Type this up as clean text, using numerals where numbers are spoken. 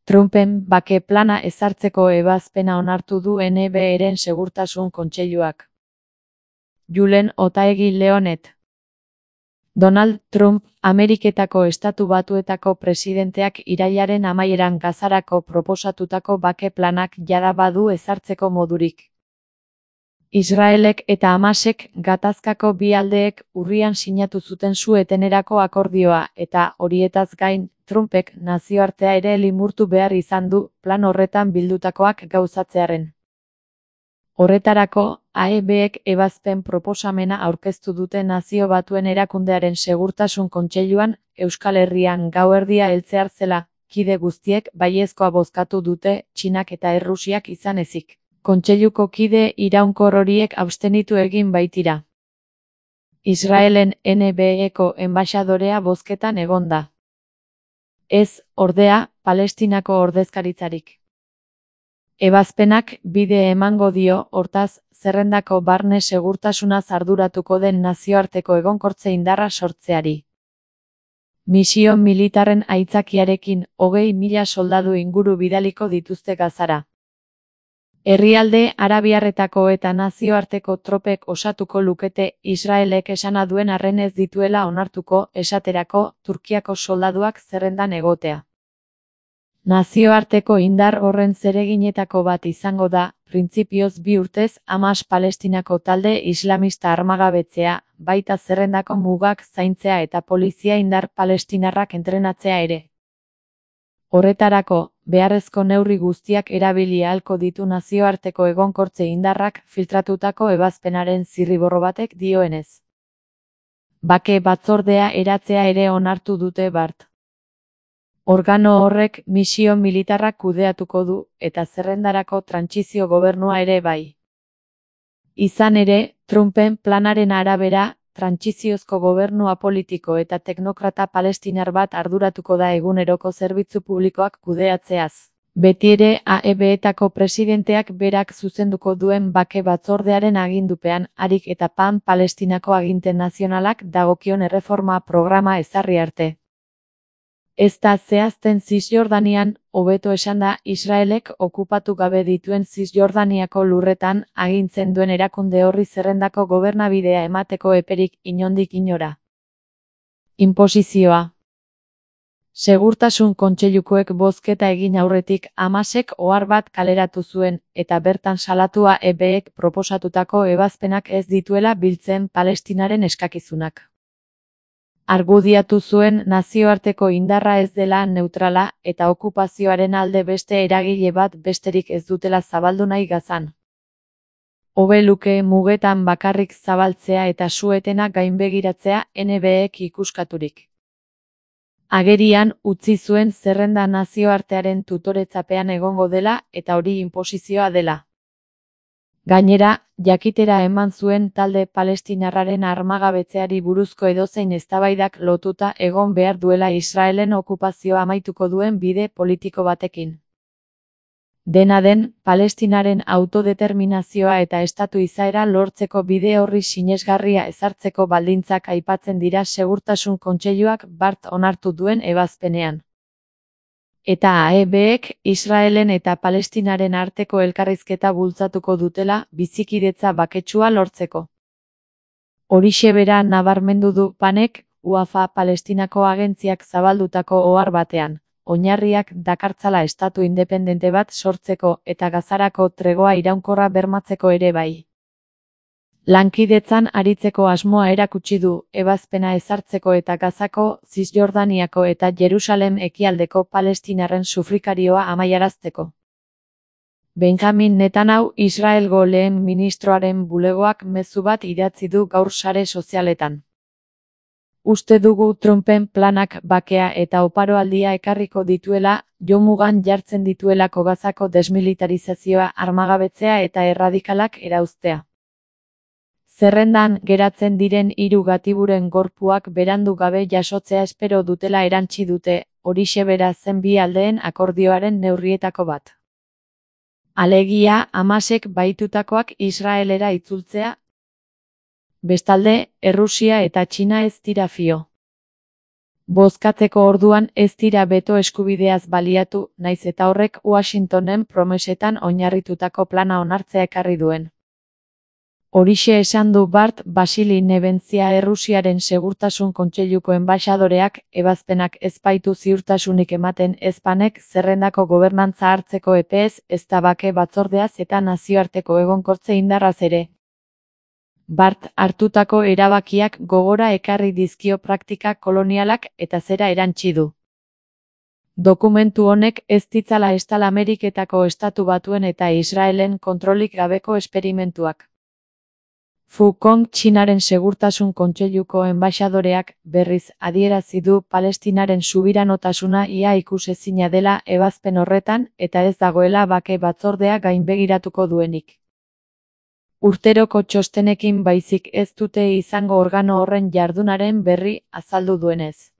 Trumpen bake plana ezartzeko ebazpena onartu du NBA-ren segurtasun kontseiluak. Julen Otaegi Leonet. Donald Trump, Ameriketako Estatu Batuetako presidenteak irailaren amaieran Gazarako proposatutako bake planak jada badu ezartzeko modurik. Israelek eta Hamasek gatazkako bi aldeek urrian sinatu zuten su-etenerako akordioa eta, horietaz gain, Trumpek nazioartea ere limurtu behar izan du plan horretan bildutakoak gauzatzearen. Horretarako, AEBek ebazpen proposamena aurkeztu dute Nazio Batuen Erakundearen Segurtasun Kontseiluan, Euskal Herrian gauerdia heltzear zela, kide guztiek baiezkoa bozkatu dute Txinak eta Errusiak izan ezik. Kontseiluko kide iraunkor horiek abstenitu egin baitira. Israelen NBA-eko enbaxadorea bozketan egon da. Ez, ordea, Palestinako ordezkaritzarik. Ebazpenak bide emango dio, hortaz, zerrendako barne segurtasunaz arduratuko den nazioarteko egonkortze indarra sortzeari. Misio militarren aitzakiarekin 20.000 soldadu inguru bidaliko dituzte Gazara. Herrialde arabiarretako eta nazioarteko tropek osatuko lukete Israelek esana duen arren ez dituela onartuko, esaterako, Turkiako soldaduak zerrendan egotea. Nazioarteko indar horren zereginetako bat izango da, printzipioz 2 urtez Hamas Palestinako talde islamista armagabetzea, baita zerrendako mugak zaintzea eta polizia indar palestinarrak entrenatzea ere. Horretarako, beharrezko neurri guztiak erabili ahalko ditu nazioarteko egonkortze indarrak filtratutako ebazpenaren zirriborro batek dioenez. Bake batzordea eratzea ere onartu dute bart. Organo horrek misio militarrak kudeatuko du, eta zerrendarako trantsizio gobernua ere bai. Izan ere, Trumpen planaren arabera, trantsiziozko gobernua politiko eta teknokrata palestinar bat arduratuko da eguneroko zerbitzu publikoak kudeatzeaz. Betiere AEB-etako presidenteak berak zuzenduko duen bake batzordearen agindupean, harik eta Palestinako aginte nazionalak dagokion erreforma programa ezarri arte. Ez da zehazten Zisjordanian, hobeto esanda Israelek okupatu gabe dituen Zisjordaniako lurretan agintzen duen erakunde horri zerrendako gobernabidea emateko eperik inondik inora. Inposizioa. Segurtasun kontseilukoek bozketa egin aurretik Hamasek ohar bat kaleratu zuen, eta bertan salatua AEBek proposatutako ebazpenak ez dituela biltzen Palestinaren eskakizunak. Argudiatu zuen nazioarteko indarra ez dela neutrala eta okupazioaren alde beste eragile bat besterik ez dutela zabaldu nahi Gazan. Hobe luke mugetan bakarrik zabaltzea eta su-etena gainbegiratzea NBek ikuskaturik. Agerian utzi zuen zerrenda nazioartearen tutoretzapean egongo dela eta hori inposizioa dela. Gainera, jakitera eman zuen talde palestinarraren armagabetzeari buruzko edozein eztabaidak lotuta egon behar duela Israelen okupazioa amaituko duen bide politiko batekin. Dena den, Palestinaren autodeterminazioa eta estatu izaera lortzeko bide horri sinesgarria ezartzeko baldintzak aipatzen dira Segurtasun Kontseiluak bart onartu duen ebazpenean. Eta AEBek Israelen eta Palestinaren arteko elkarrizketa bultzatuko dutela bizikidetza baketsua lortzeko. Horixe bera nabarmendu du Panek, UAFA Palestinako agentziak zabaldutako ohar batean, oinarriak dakartzala estatu independente bat sortzeko eta Gazarako tregoa iraunkorra bermatzeko ere bai. Lankidetzan aritzeko asmoa erakutsi du, ebazpena ezartzeko eta Gazako, Zisjordaniako eta Jerusalem ekialdeko palestinarren sufrikarioa amaiarazteko. Benjamin Netanyahu Israelgo lehen ministroaren bulegoak mezu bat idatzi du gaur sare sozialetan. Uste dugu Trumpen planak bakea eta oparoaldia ekarriko dituela, jomugan jartzen dituelako Gazako desmilitarizazioa, armagabetzea eta erradikalak erauztea. Zerrendan geratzen diren 3 gatiburen gorpuak berandu gabe jasotzea espero dutela erantsi dute, horixe bera zen bi aldeen akordioaren neurrietako bat. Alegia, Hamasek baitutakoak Israelera itzultzea. Bestalde, Errusia eta Txina ez dira fio. Bozkatzeko orduan ez dira beto eskubideaz baliatu, naiz eta horrek Washingtonen promesetan oinarritutako plana onartzea ekarri duen. Horixe esan du Bart Basili Nebentzia Errusiaren Segurtasun Kontseiluko enbaxadoreak, ebazpenak ez baitu ziurtasunik ematen ezpanek zerrendako gobernantza hartzeko epeez, ezta bake batzordeaz eta nazioarteko egonkortze indarraz ere. Bart hartutako erabakiak gogora ekarri dizkio praktika kolonialak eta zera erantsi du. Dokumentu honek ez ditzala estal Ameriketako Estatu Batuen eta Israelen kontrolik gabeko esperimentuak. Fu Kong Txinaren Segurtasun Kontseiluko enbaxadoreak, berriz, adierazi du Palestinaren subiranotasuna ia ikusezina dela ebazpen horretan eta ez dagoela bake batzordea gainbegiratuko duenik. Urteroko txostenekin baizik ez dute izango organo horren jardunaren berri, azaldu duenez.